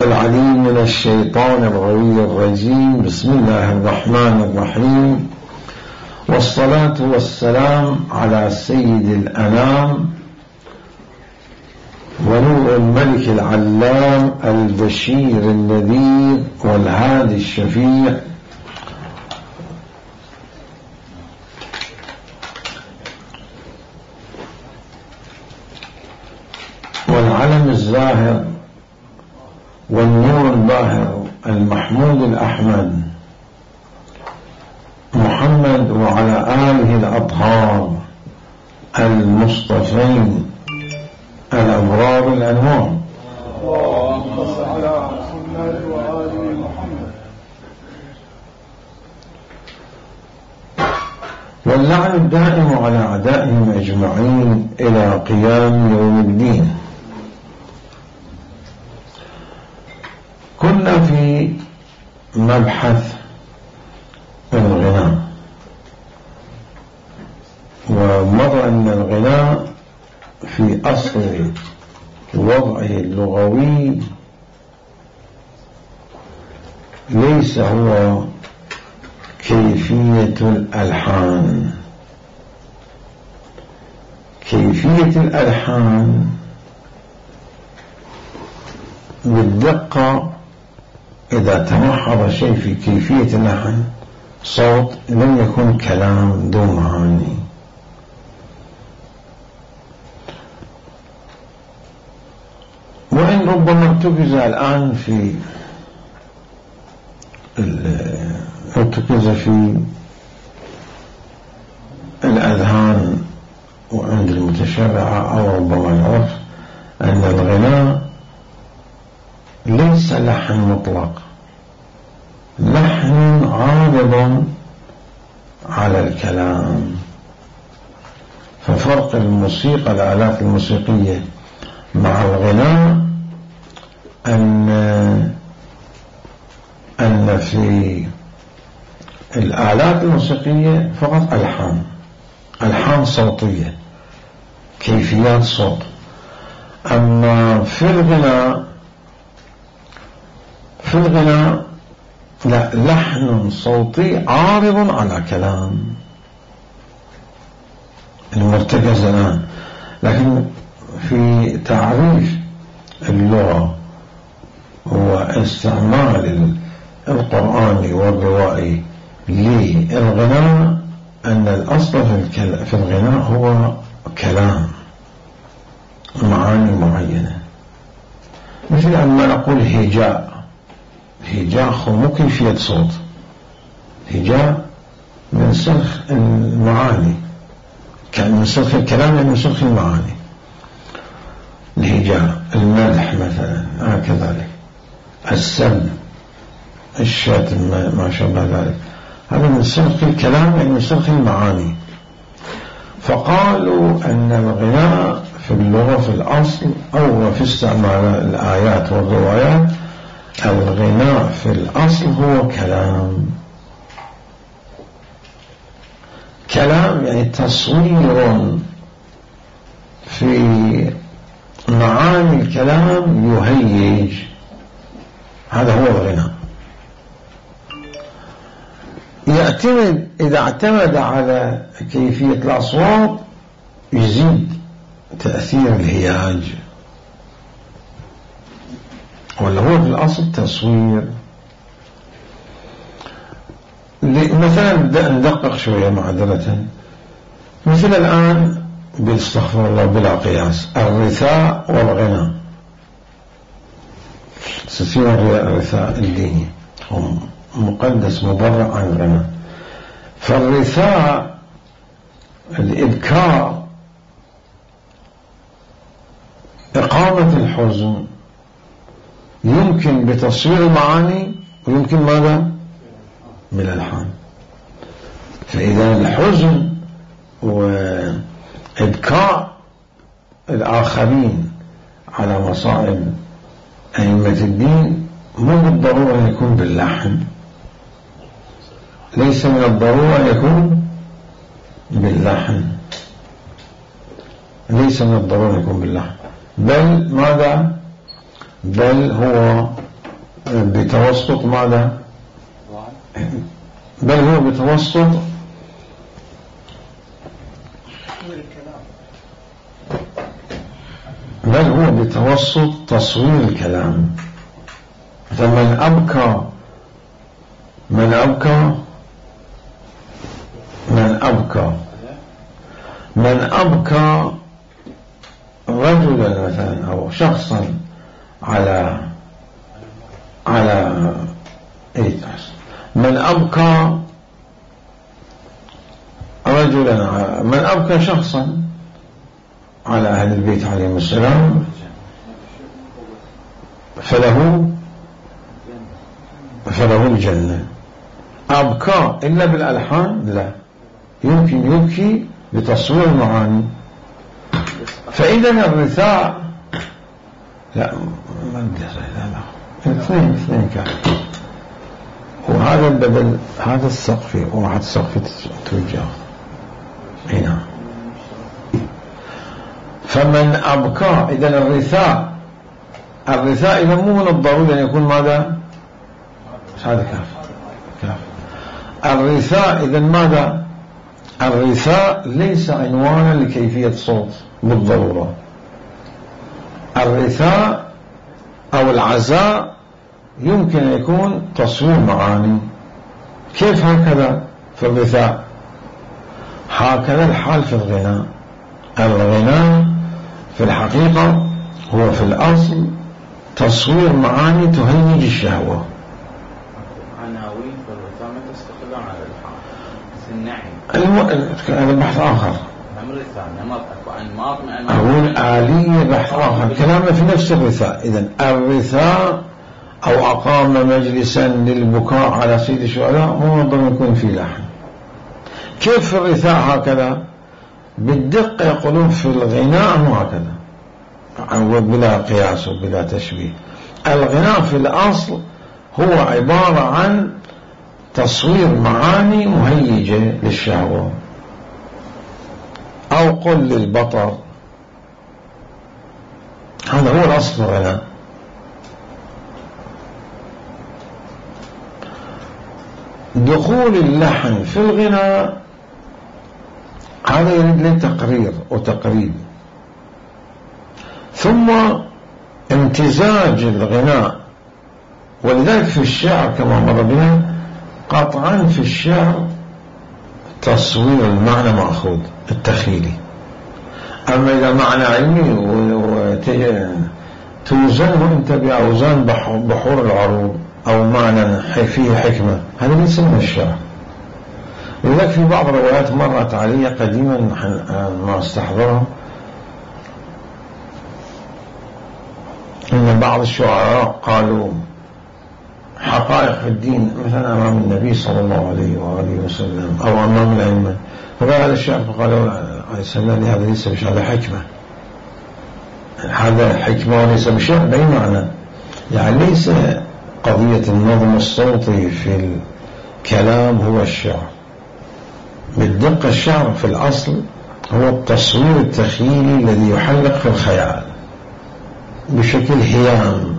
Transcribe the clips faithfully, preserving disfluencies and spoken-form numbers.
العليم من الشيطان الغوي الرجيم. بسم الله الرحمن الرحيم، والصلاة والسلام على سيد الأنام ونور الملك العلام البشير النذير والهادي الشفيع والعلم الزاهر والنور الباهر المحمود الأحمد محمد وعلى آله الأطهار المصطفين الأبرار الأنوار. اللهم صل على محمد وآل محمد. واللعن الدائم على أعدائهم أجمعين إلى قيام يوم الدين. كنا في مبحث الغناء، ومر أن الغناء في أصل وضعه اللغوي ليس هو كيفية الألحان. كيفية الألحان بالدقة إذا تمحض شيء في كيفية اللحن صوت لم يكن كلام ذو معاني. وإن ربما ارتكز الآن في ارتكز في الأذهان وعند المتشرعة أو ربما العرف أن الغناء ليس لحن مطلق، لحن عارض على الكلام. ففرق الموسيقى الآلات الموسيقية مع الغناء أن أن في الآلات الموسيقية فقط ألحان ألحان صوتية، كيفيات صوت. أما في الغناء في الغناء لا، لحن صوتي عارض على كلام المرتكز الآن. لكن في تعريف اللغة واستعمال القرآن والروائي للغناء أن الأصل في الغناء هو كلام معاني معينة، مثل أن نقول هجاء. هجاء مو كيفية صوت، هجاء من سلخ المعاني، كان من سلخ الكلام يعني من سلخ المعاني. الهجاء المدح مثلا هكذلك، السب الشتم ما شابه ذلك، هذا من سلخ الكلام يعني من سلخ المعاني. فقالوا أن الغناء في اللغة في الأصل أو في استعمال الآيات والروايات، الغناء في الأصل هو كلام. كلام يعني تصوير في معاني الكلام يهيج، هذا هو الغناء. يعتمد إذا اعتمد على كيفية الأصوات يزيد تأثير الهياج، ولا هو في الأصل تصوير. مثلا ندقق شوية معذرة، مثل الآن باستغفر الله بلا قياس الرثاء والغناء. سلسلة الرثاء الديني هو مقدس مبرأ عن الغناء. فالرثاء الإبكار إقامة الحزن يمكن بتصوير المعاني ويمكن ماذا من الألحان. فإذا الحزن وإبكاء الآخرين على مصائب أئمة الدين مو بالضرورة أن يكون باللحن، ليس من الضرورة أن يكون باللحن، ليس من الضرورة أن يكون باللحن، بل ماذا؟ بل هو بتوسط ماذا؟ بل هو بتوسط بل هو بتوسط تصوير الكلام. فمن أبكى من أبكى من أبكى من أبكى رجلا مثلا أو شخصا على على من أبكى رجلا من أبكى شخصا على أهل البيت عليهم السلام فله فله الجنة. أبكى إلا بالألحان لا، يمكن يبكي بتصوير المعاني. فإذا الرثاء لا ما بدي لا اثنين اثنين كان، وهذا البدل هذا السقف وواحد سقف توجه هنا. فمن أبكى إذا الرثاء الرثاء إذا مو من الضروري أن يكون ماذا؟ هذا كاف كاف الرثاء إذا ماذا؟ الرثاء ليس عنوانا لكيفية صوت بالضرورة. الرثاء أو العزاء يمكن أن يكون تصوير معاني. كيف هكذا في الرثاء؟ هكذا الحال في الغناء. الغناء في الحقيقة هو في الأصل تصوير معاني تهيج الشهوة. عناوين في الرثاء ما تستقلون على الحال. النعم هذا بحث آخر. أقول آلية بحث آخر. كلامنا في نفس الرثاء. إذن الرثاء أو أقام مجلسا للبكاء على سيد الشهداء مو ضمن يكون في لحن. كيف في الرثاء هكذا؟ بالدقة يقولون في الغناء مو هكذا بلا قياس وبلا تشبيه. الغناء في الأصل هو عبارة عن تصوير معاني مهيجة للشهوة أو قل للبطر. هذا هو الأصل الغناء. دخول اللحن في الغناء هذا يريد له تقرير وتقريب، ثم امتزاج الغناء. ولذلك في الشعر كما مر بنا قطعا في الشعر تصوير المعنى مأخوذ التخيلي. أما إذا معنى علمي توزنه أنت بأوزان بحور العروض أو معنى فيه حكمة، هذا ليس من الشعر. لذلك في بعض الروايات مرت علي قديما ما استحضرها إن بعض الشعراء قالوا حقائق الدين مثلا أمام النبي صلى الله عليه وآله وسلم أو أمام الأئمة، فقال هذا الشعر فقالوا عليه السلام هذا ليس بشعر، هذا حكمة، هذا حكمة وليس بشعر. بأي معنى؟ يعني ليس قضية النظم الصوتي في الكلام هو الشعر بالدقة. الشعر في الأصل هو التصوير التخيلي الذي يحلق في الخيال بشكل هيام،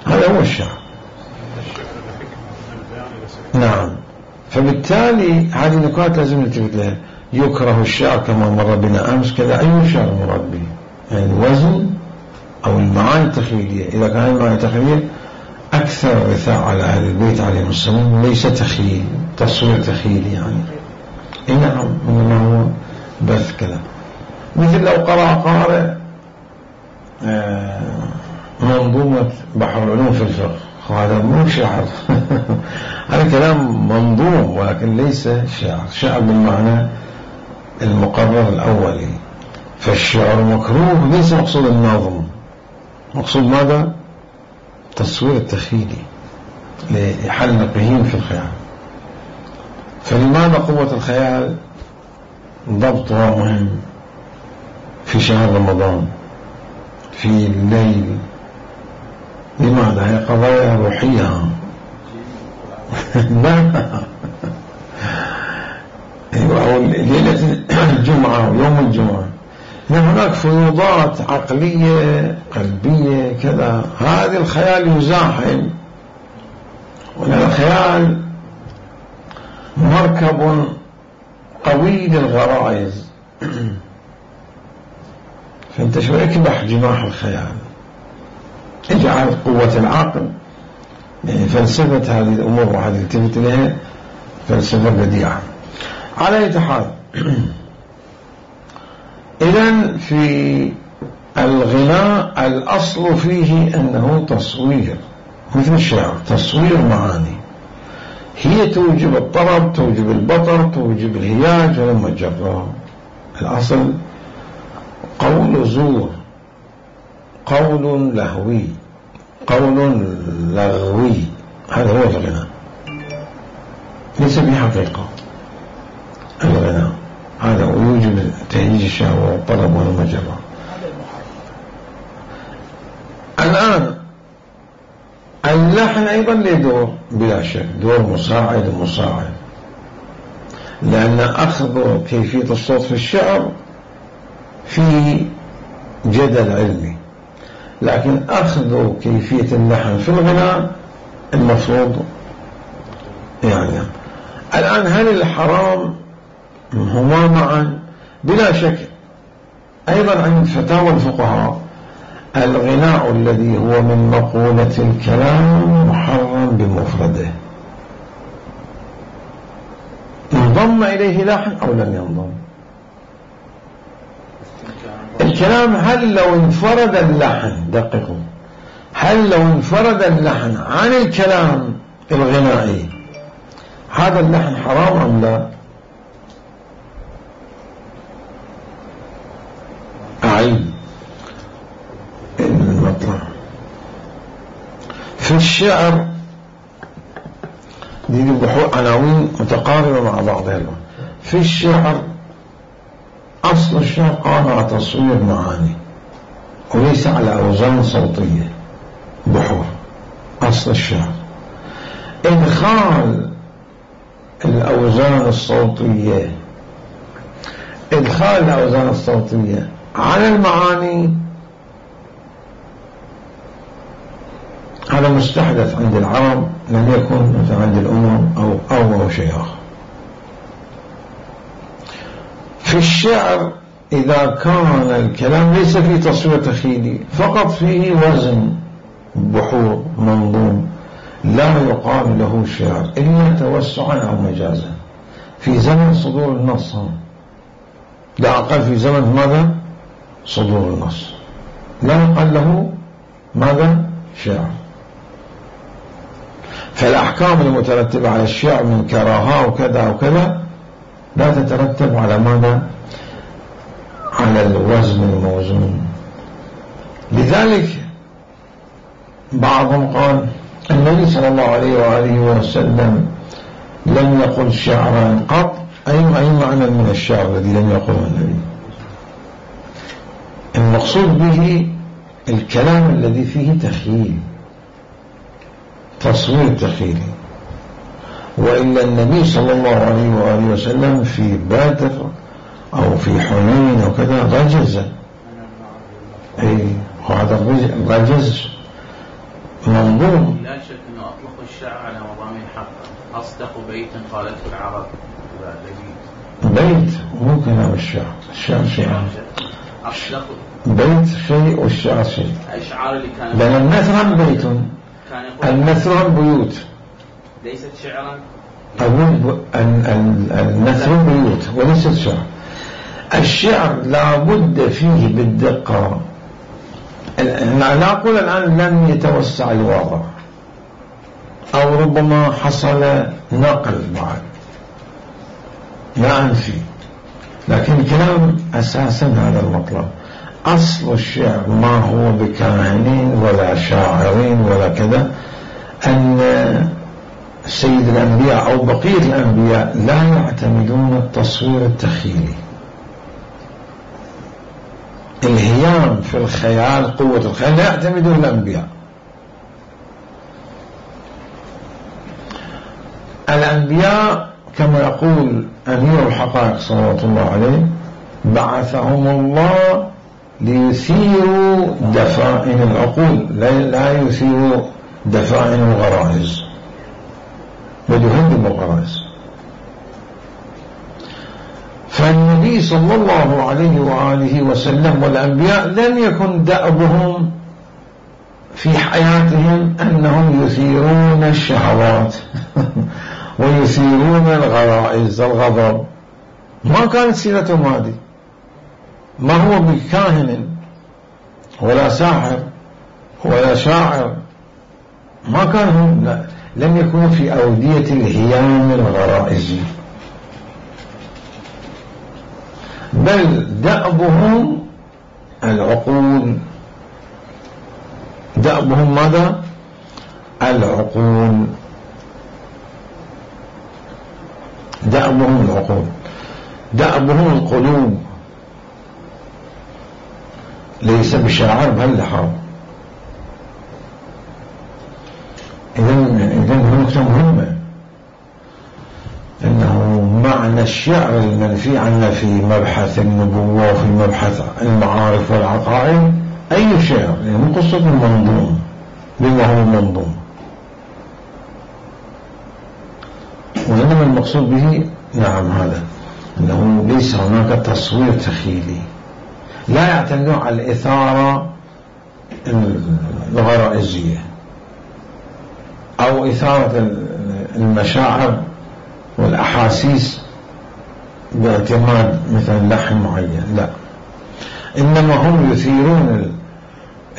هذا هو الشعر. نعم. فبالتالي هذه النقاط لازم نلتفت لها. يكره الشعر كما مر بنا أمس كذا. أي شعر مراد به؟ يعني الوزن أو المعاني التخيلية. إذا كان المعاني التخيلية أكثر الرثاء على أهل البيت عليهم السلام ليس تخيل، تصوير تخيلي يعني. إيه نعم، إنما هو بث كذا. مثل لو قرأ قارئ منظومة بحر العلوم في الفقه، هذا مو شعر هذا كلام منظوم ولكن ليس شعر. شعر بالمعنى المقرر الأولي. فالشعر مكروه ليس مقصود النظم، مقصود ماذا؟ تصوير التخيلي لحلقهم في الخيال. فلماذا قوة الخيال ضبطها مهم في شهر رمضان في الليل؟ لماذا؟ هي قضايا روحية. لا أو ليلة الجمعة ويوم الجمعة هناك فيوضات عقلية قلبية كذا، هذا الخيال يزاحم وأن الخيال مركب قوي للغرائز. فأنت شو اكبح جناح الخيال، اجعل قوة العقل. يعني فلسفة هذه الأمور وهذه التفت إليها فلسفة بديعة. على أي حال، إذن في الغناء الأصل فيه أنه تصوير، مثل الشعر، تصوير معاني هي توجب الطرب، توجب البطر، توجب الهياج ولما جرى. الأصل قول زور، قول لهوي، قول لغوي، هذا هو الغناء، ليس بحقيقة. الغناء هذا ويوجب تهييج الشهوة والطلب ولما جرى. الآن اللحن أيضا له دور بلا شك، دور مساعد ومساعد، لأن أخذ كيفية الصوت في الشعر في جدل علمي، لكن أخذ كيفية اللحن في الغناء المفروض. يعني الآن هل الحرام هما معا؟ بلا شك. أيضا عند فتاوى الفقهاء الغناء الذي هو من مقولة الكلام محرم بمفرده، انضم إليه لحن أو لم ينضم. الكلام هل لو انفرد اللحن، دققوا، هل لو انفرد اللحن عن الكلام الغنائي هذا اللحن حرام أم لا؟ أعيد المطلع. في الشعر دي بحوث عناوين متقاربة مع بعضها. في الشعر أصل الشعر قام على تصوير معاني وليس على أوزان صوتية. بحور أصل الشعر إدخال الأوزان الصوتية، إدخال الأوزان الصوتية على المعاني هذا مستحدث عند العرب، لم يكن مثلا عند الأمم أو أو أو شيء آخر. في الشعر إذا كان الكلام ليس فيه تصوير تخيلي، فقط فيه وزن بحور منظوم، لا يقال له شعر إلا توسعا أو مجازا في زمن صدور النص، لا أقل في زمن ماذا؟ صدور النص، لا يقال له ماذا؟ شعر. فالأحكام المترتبة على الشعر من كراهة وكذا وكذا لا تترتب على ماذا؟ على الوزن الموزون. لذلك بعضهم قال النبي صلى الله عليه وآله وسلم لم يقل شعرا قط. أي معنى من الشعر الذي لم يقله النبي؟ المقصود به الكلام الذي فيه تخيل، تصوير تخيلي. وإلا النبي صلى الله عليه وآله وسلم في بدر أو في حنين أو كذا رجز. أي وهذا الرجز منظوم. لا شك أنه أطلق الشعر على مضامين حقا. أصدق بيت قالته العرب بيت، مو كلام الشعر. الشعر شيء، أصدق بيت شيء والشعر شيء. الأشعار اللي كانت لأن النثر بيت، النثر بيوت، ليست شعرا. أقول النثر بيوت وليست شعر. الشعر لا بد فيه بالدقة. لا أقول الآن لم يتوسع الوضع أو ربما حصل نقل بعد، لا أنفي، لكن الكلام أساسا هذا المطلب. أصل الشعر ما هو بكاهنين ولا شاعرين ولا كذا، أن سيد الأنبياء أو بقية الأنبياء لا يعتمدون التصوير التخيلي. الهيام في الخيال، قوة الخيال، لا يعتمدون الأنبياء. الأنبياء كما يقول أمير الحقائق صلوات الله عليه بعثهم الله ليثيروا دفائن العقول، لا يثيروا دفائن الغرائز. وليهذب الغرائز. فالنبي صلى الله عليه وآله وسلم والأنبياء لم يكن دأبهم في حياتهم أنهم يثيرون الشهوات ويثيرون الغرائز الغضب، ما كانت سيرتهم هذه. ما هو بكاهن ولا ساحر ولا شاعر، ما كانوا، لا، لم يكونوا في أودية الهيام الغرائزي، بل دأبهم العقول. دأبهم ماذا؟ العقول. دأبهم العقول، دأبهم القلوب، ليس بشاعر بل لحظ. إذن إذن نقطة مهمة، إنه معنى الشعر المنفي عنا في مبحث النبوة وفي مبحث المعارف والعقائد أي شعر، يعني مو قصة المنظوم بما هو المنظوم، وإنما المقصود به نعم هذا أنه ليس هناك تصوير تخيلي، لا يعتمدون على الإثارة الغرائزية أو إثارة المشاعر والأحاسيس باعتماد مثلا لحن معين، لا، إنما هم يثيرون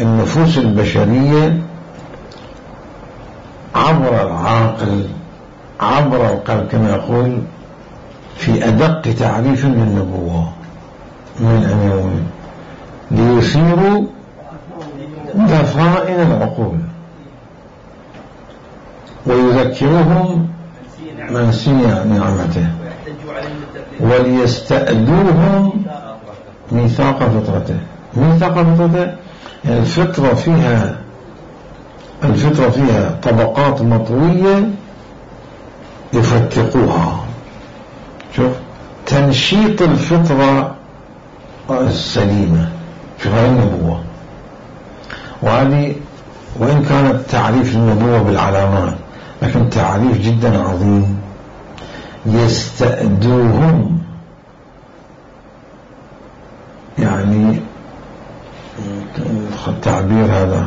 النفوس البشرية عبر العقل، عبر القلب، كما يقول في أدق تعريف للنبوة من أمامهم، ليثيروا ضفائر العقول ويذكروهم منسي نعمته وليستأدوهم ميثاق فطرته. ميثاق فطرته يعني الفطرة فيها الفطرة فيها طبقات مطوية يفتقوها. شوف تنشيط الفطرة السليمة، شوف هاي النبوة. وهذه وإن كانت تعريف النبوة بالعلامات لكن تعريف جدا عظيم. يستأدوهم يعني التعبير هذا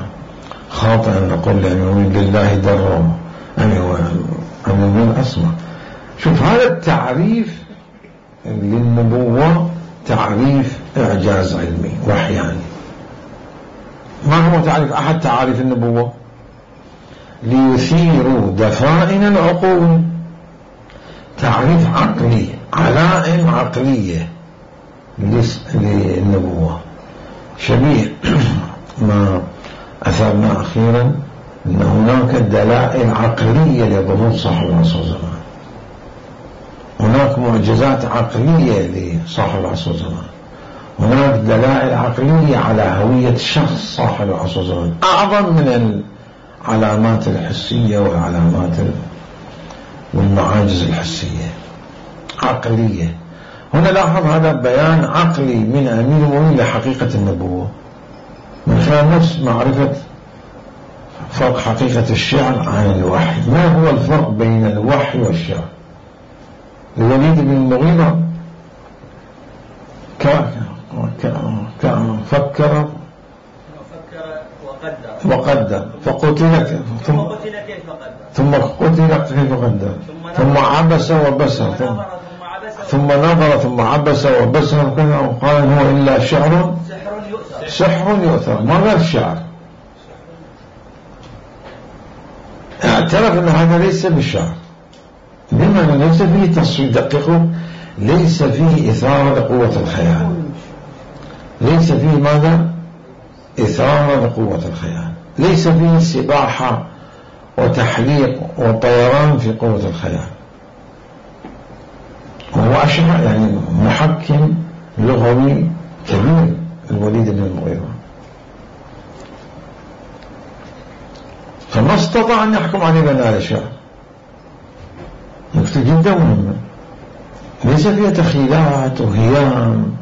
خاطئ أن نقول لأمين لله درهم أمين أسمع. شوف هذا التعريف للنبوة تعريف إعجاز علمي وحياني. ما هو تعريف أحد تعريف النبوة؟ ليثيروا دفائن العقول، تعريف عقلي، علائم عقلية للنبوة، شبيه ما أثرنا أخيرا أن هناك دلائل عقلية لظهور صاحب العصر والزمان، هناك معجزات عقلية لصاحب العصر والزمان، هناك دلائل عقلية على هوية شخص صاحب العصر والزمان أعظم من العلامات الحسية والعلامات والمعاجز الحسية، عقلية. هنا لاحظ هذا بيان عقلي من أمير المؤمنين لحقيقة النبوة من خلال نفس معرفة فرق حقيقة الشعر عن الوحي. ما هو الفرق بين الوحي والشعر؟ الوليد بن المغيرة فكر وقدر فقتل ثم ثم قتل كيف قدر ثم عبس وبسر ثم نظر ثم عبس وبسر وقال هو إلا شعر سحر يؤثر. ما غير الشعر، اعترف أن هذا ليس بالشعر، لما ليس فيه تصوير دقيق، ليس فيه إثارة لقوة الخيال، ليس فيه ماذا؟ إثارة لقوة الخيال، ليس فيه سباحة وتحليق وطيران في قوة الخيال. وهو أشعر يعني محكم لغوي كبير الوليد بن المغيرة، فما استطاع أن يحكم عليه بناء الشعر. نكتة جدا مهمة، ليس فيها تخيلات وهيام،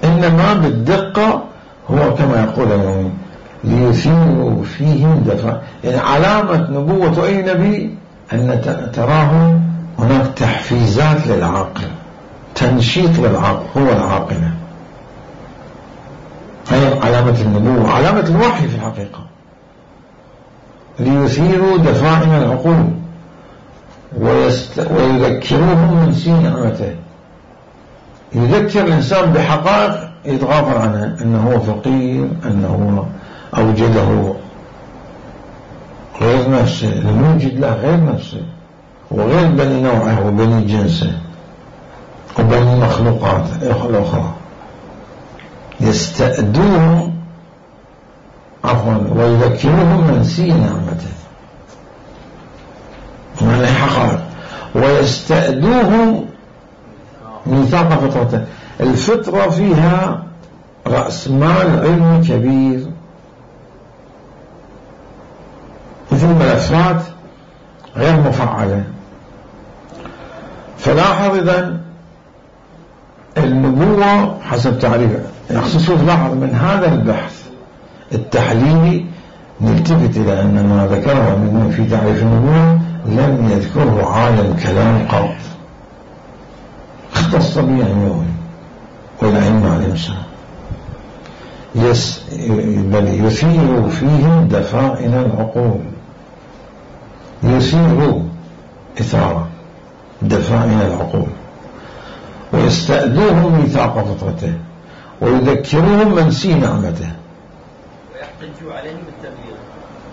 إنما بالدقة هو كما يقول اليوم ليثيروا فيهم دفع. يعني علامة نبوة أي نبي أن تراه هناك تحفيزات للعاقل، تنشيط للعاقل، هو العاقلة، هي علامة النبوة، علامة الوحي في الحقيقة، ليثيروا دفائن العقول ويست... ويذكروهم من سين نعمته. يذكر الإنسان بحقائق يتغافر عنها، أنه هو فقير، أنه أوجده غير نفسه، الموجد له غير نفسه وغير بني نوعه وبني جنسه وبني مخلوقات الأخرى. يستأدوهم عفوا ويذكروهم من سين نعمته من الحقائق، ويستأدوهم ميثاق فطرته. الفطرة فيها رأس مال علمي كبير، مثل ملفات غير مفعلة. فلاحظ إذن النبوة حسب تعريفه، يخصصه لاحظ من هذا البحث التحليلي نلتفت إلى أن ما ذكره منه في تعريف النبوة لم يذكره عالم كلام قط، اختص به علمه والعلم على الإنسان، يس بل يثير فيهم دفائن العقول، يثير إثارة دفائن العقول، ويستأدوهم ميثاق فطرته، ويذكروهم من سين نعمته، ويحتجوا عليهم بالتبليغ.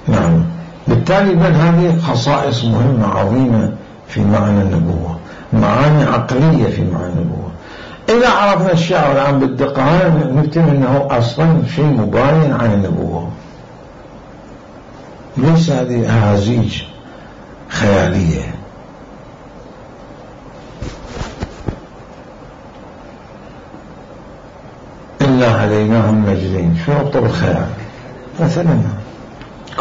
نعم. بالتالي من هذه خصائص مهمة عظيمة في معنى النبوة، معاني عقلية في معنى النبوة. إذا عرفنا الشعر الآن بالدقة نكتب أنه أصلا شيء مباين عن النبوة، ليس هذه أهازيج خيالية. إلا هديناهم النجدين، شو ربط بالخيال؟ مثلا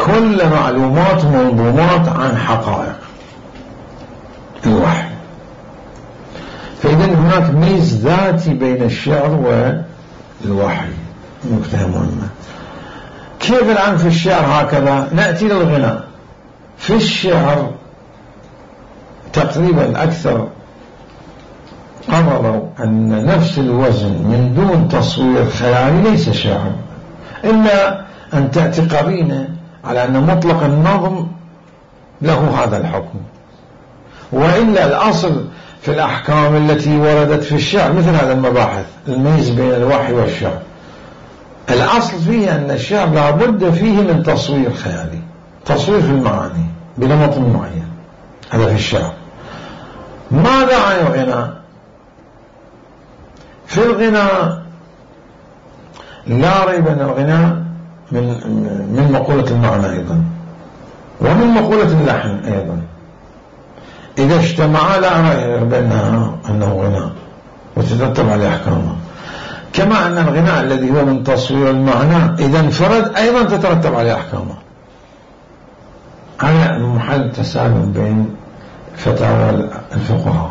كل معلومات منظومات عن حقائق الوحي. فإذا هناك ميز ذاتي بين الشعر والوحي، نكتة مهمة. كيف الآن في الشعر هكذا؟ نأتي للغناء. في الشعر تقريبا أكثر قرروا أن نفس الوزن من دون تصوير خيالي ليس شعر، إلا أن تأتي قرينة على أن مطلق النظم له هذا الحكم، وإلا الأصل في الأحكام التي وردت في الشعر مثل هذا المباحث الميز بين الوحي والشعر، الأصل فيه أن الشعر لابد فيه من تصوير خيالي، تصوير في المعاني بنمط معين، هذا في الشعر. ماذا عن الغناء؟ في الغناء لا ريب أن الغناء من من مقولة المعنى أيضا، ومن مقولة اللحن أيضا، إذا اجتمعا لا ريب بأنها أنه غناء وتترتب عليه أحكامه. كما أن الغناء الذي هو من تصوير المعنى إذا انفرد أيضا تترتب عليه أحكامه. هذا محل تسالم بين فتاوى الفقهاء،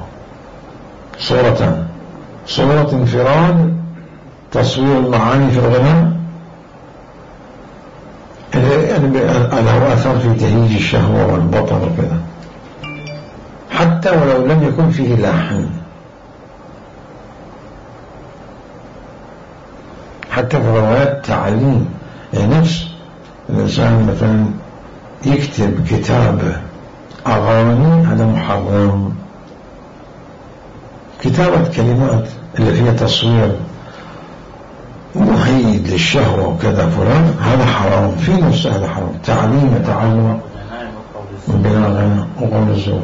صورتان: صورة انفراد تصوير المعاني في الغناء يعني له أثر في تهيج الشهوة والبطر وكذا، حتى ولو لم يكن فيه لحن، حتى في روايات تعليم. يعني نفس الإنسان مثلا يكتب كتاب أغاني، هذا محرم. كتابة كلمات اللي فيها تصوير مهيد للشهوة وكذا فلان، هذا حرام في نفسه، هذا حرام. تعليم وتعلم بلا غنى وقول الزور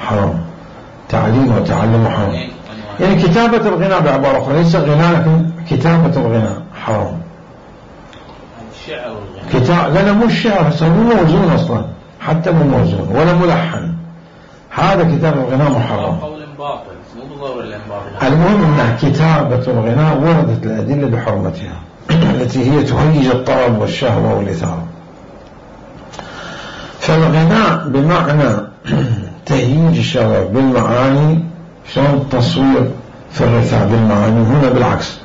حرام، تعليم وتعلم حرام. يعني كتابة الغناء بعبارة أخرى ليس غناء، لكن كتابة الغناء حرام. الشعر والغناء كتاب لا مو الشعر، هسه مو موزون أصلا، حتى مو موزون ولا ملحن، هذا كتاب الغناء محرم. قول باطل مو بالضرورة الانباطل. المهم أن كتابة الغناء وردت الأدلة بحرمتها التي هي تهيج الطرب والشهوة والإثارة. فالغناء بمعنى تهيج الشهوة بالمعاني، شلون التصوير في الرثاء بالمعاني، هنا بالعكس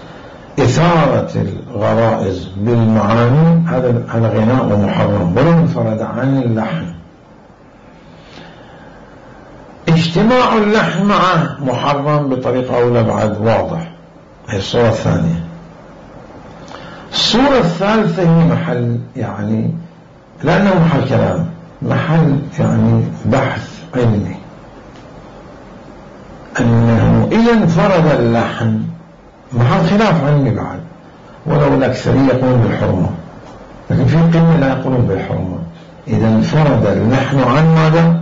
إثارة الغرائز بالمعاني، هذا هذا غناء ومحرم ولو انفرد عن اللحن. اجتماع اللحن معه محرم بطريقة أولى بعد واضح. هي الصورة الثانية. الصورة الثالثة هي محل يعني لأنه محل كلام، محل يعني بحث علمي، أنه إذا انفرد اللحن محل خلاف علمي بعد، ولو الأكثرية يقولون بالحرمة، لكن في قمة لا يقولون بالحرمة. إذا انفرد اللحن عن ماذا؟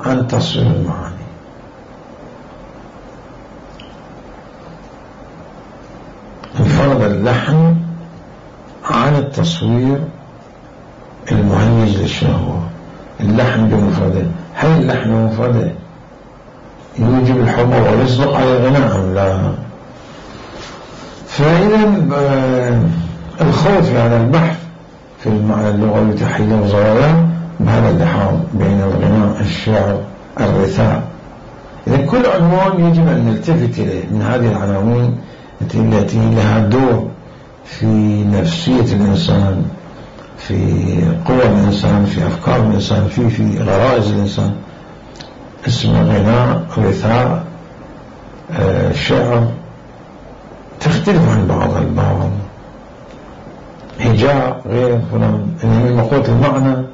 عن تصوير المعاني. انفرد اللحن عن التصوير المهيج للشهوة. اللحن بمفرده، هل اللحن بمفرده يوجب الحرمة ويصدق على الغناء أم لا؟ فإذا الخوض في هذا البحث في المعنى اللغوي تحليل وزواياه بهذا اللحاظ بين الغناء، الشعر، الرثاء. إذا كل عنوان يجب أن نلتفت إليه من هذه العناوين التي لها دور في نفسية الإنسان، في قوى الإنسان، في أفكار الإنسان، في في غرائز الإنسان. اسمه غناء، رثاء، آه، شعر، تختلف عن بعض البعض. هجاء غير فلان، إنه مقوة المعنى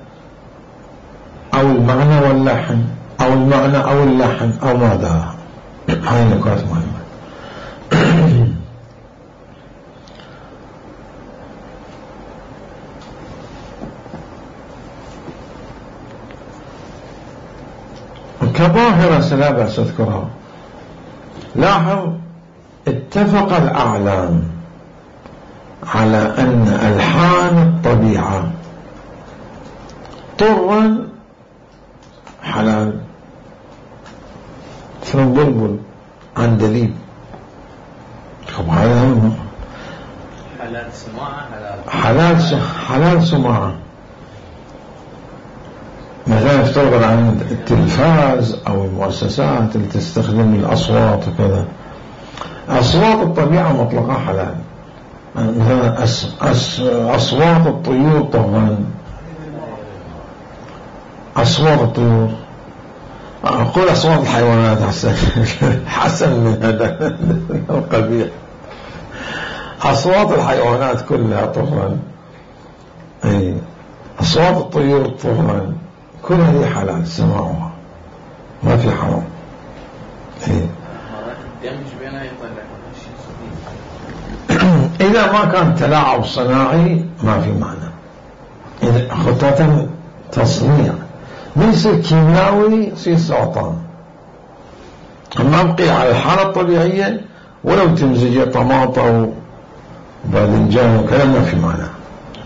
أو المعنى واللحن أو المعنى أو اللحن أو ماذا. هاي نقاط مهمة. كظاهرة لا بأس أذكرها. لاحظ اتفق الأعلام على أن ألحان الطبيعة طرا حلال، مثل بلبل، عندليب. طب هذا حلال سماعة، حلال حلال سماعة. مثلا يفترض عن التلفاز أو المؤسسات اللي تستخدم الأصوات وكذا. أصوات الطبيعة مطلقة حلال. مثلا أس أس أصوات الطيور طبعا، أصوات الطيور، أقول أصوات الحيوانات حسن حسن من هذا القبيح. أصوات الحيوانات كلها طبعا، أي أصوات الطيور طبعا كل هذه حلال سماعها، ما في حرام. إيه. إذا ما كان تلاعب صناعي ما في معنى. إذا خطة تصنيع ما يصير كيميائي يصير سرطان. أما أبقي على الحالة الطبيعية ولو تمزج طماطة وباذنجان وكلام ما في معنى.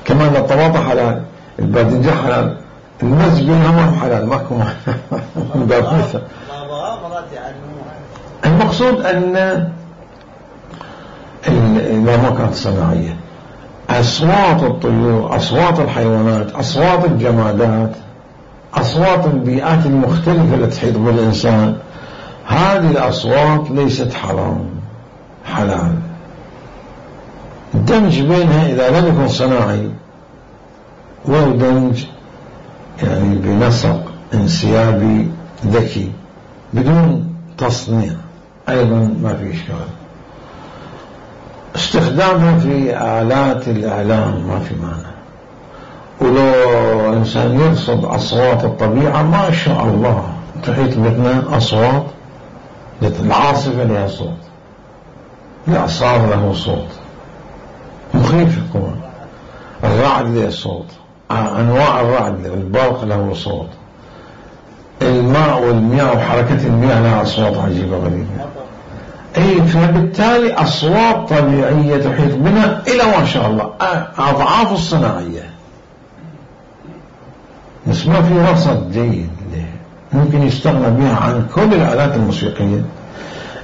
كمان الطماطة حلال، الباذنجان حلال، المزج بينهم حلال، ماكو معنى. المقصود أن إذا ما كانت صناعية أصوات الطيور، أصوات الحيوانات، أصوات الجمادات، أصوات البيئات المختلفة التي تحيط بالإنسان، هذه الأصوات ليست حرام، حلال. الدمج بينها إذا لم يكن صناعي ولو دمج يعني بنسق انسيابي ذكي بدون تصنيع أيضا ما في إشكال. استخدامها في آلات الإعلام ما في معنى. ولو إنسان يرصد أصوات الطبيعة ما شاء الله تحيط بنا أصوات، العاصفة لها صوت، الإعصار له صوت مخيف يكون، الرعد له صوت، أنواع الرعد، البرق له صوت، الماء والمياه وحركة المياه لها أصوات عجيبة غريبة. أي فبالتالي أصوات طبيعية تحيط بنا إلى ما شاء الله أضعاف الصناعية، بس ما في رصد جيد له. ممكن يستغنى بها عن كل الآلات الموسيقية.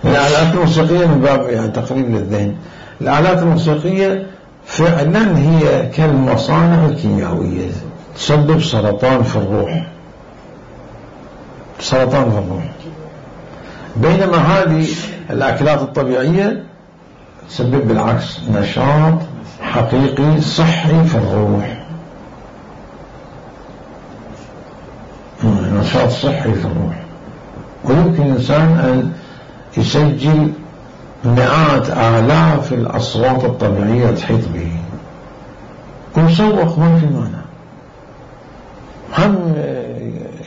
الآلات الموسيقية من باب يعني تقريب للذهن، الآلات الموسيقية فعلا هي كالمصانع الكيميائية تسبب سرطان في الروح، سرطان في الروح. بينما هذه الأكلات الطبيعية تسبب بالعكس نشاط حقيقي صحي في الروح، نشاط صحي في الروح. ويمكن الإنسان أن يسجل مئات آلاف الأصوات الطبيعية تحيط به ويسوق، ما في مانع. هم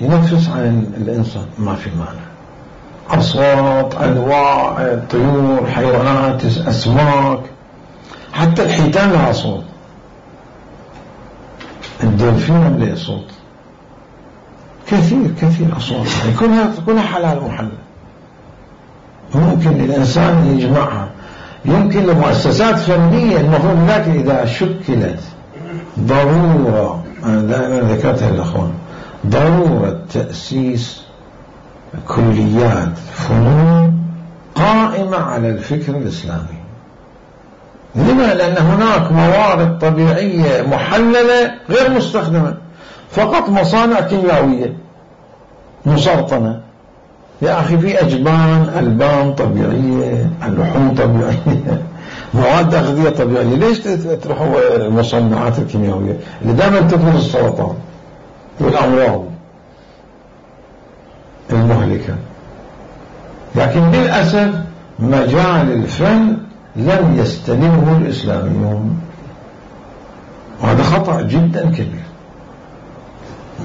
ينفس عن الإنسان ما في مانع. أصوات، أنواع، طيور، حيوانات، أسماك، حتى الحيتان لها صوت، الدولفين له صوت، كثير كثير أصوات، يعني كلها كلها حلال محلل. ممكن الإنسان يجمعها. يمكن لمؤسسات فنية المفروض، لكن إذا شكلت ضرورة، أنا دائما ذكرتها للأخوان، ضرورة تأسيس كليات فنون قائمة على الفكر الإسلامي. لما؟ لأن هناك موارد طبيعية محللة غير مستخدمة، فقط مصانع كيميائية مسرطنة. يا أخي في أجبان، ألبان طبيعية، اللحوم طبيعية، مواد أغذية طبيعية، ليش تروحوا المصنعات الكيميائية اللي دائما تفرز السرطان والأمراض المهلكة؟ لكن للأسف مجال الفن لم يستلمه الإسلاميون، وهذا خطأ جدا كبير،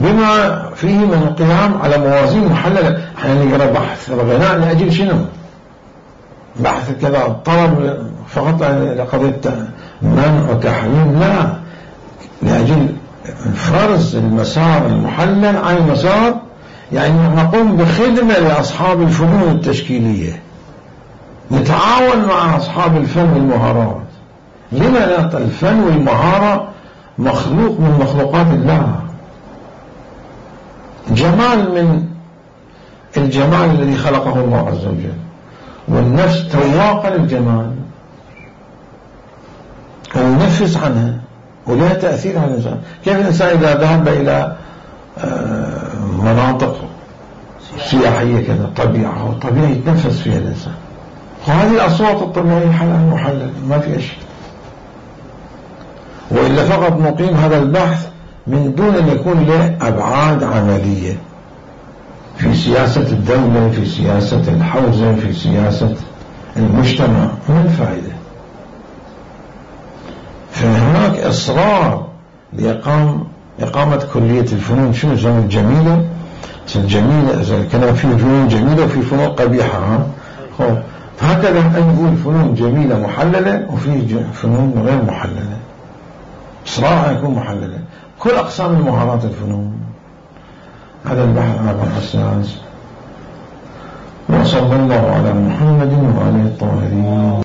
بما فيه من القيام على موازين محللة. احنا نقرأ بحث الغناء لأجل شنو؟ بحث كذا طلب فقط لقضية منع وتحريم؟ لا، لأجل فرز المسار المحلل عن المسار، يعني نقوم بخدمة لأصحاب الفنون التشكيلية، نتعاون مع أصحاب الفن والمهارات. لما لا؟ الفن والمهارة مخلوق من مخلوقات الله، جمال من الجمال الذي خلقه الله عز وجل، والنفس تواقة للجمال وننفس عنها ولها تأثير على الإنسان. كيف الإنسان إذا ذهب إلى مناطق سياحية كذا، طبيعة طبيعة يتنفس فيها الإنسان، وهذه الأصوات الطبيعية حلال محلل، ما في أشياء. وإلا فقط نقيم هذا البحث من دون أن يكون له أبعاد عملية في سياسة الدولة، في سياسة الحوزة، في سياسة المجتمع، ما الفائدة؟ فهناك إصرار لإقام إقامة كلية الفنون. شنو زمن الجميلة؟ الجميلة إذا كان في فنون جميلة وفي فنون قبيحة، ها هكذا نقول فنون جميلة محللة وفي فنون غير محللة، إصرار يكون محللة، كل أقسام المهارات الفنون. هذا البحث على الحساس. وصلى الله على محمد وعلى الطاهرين.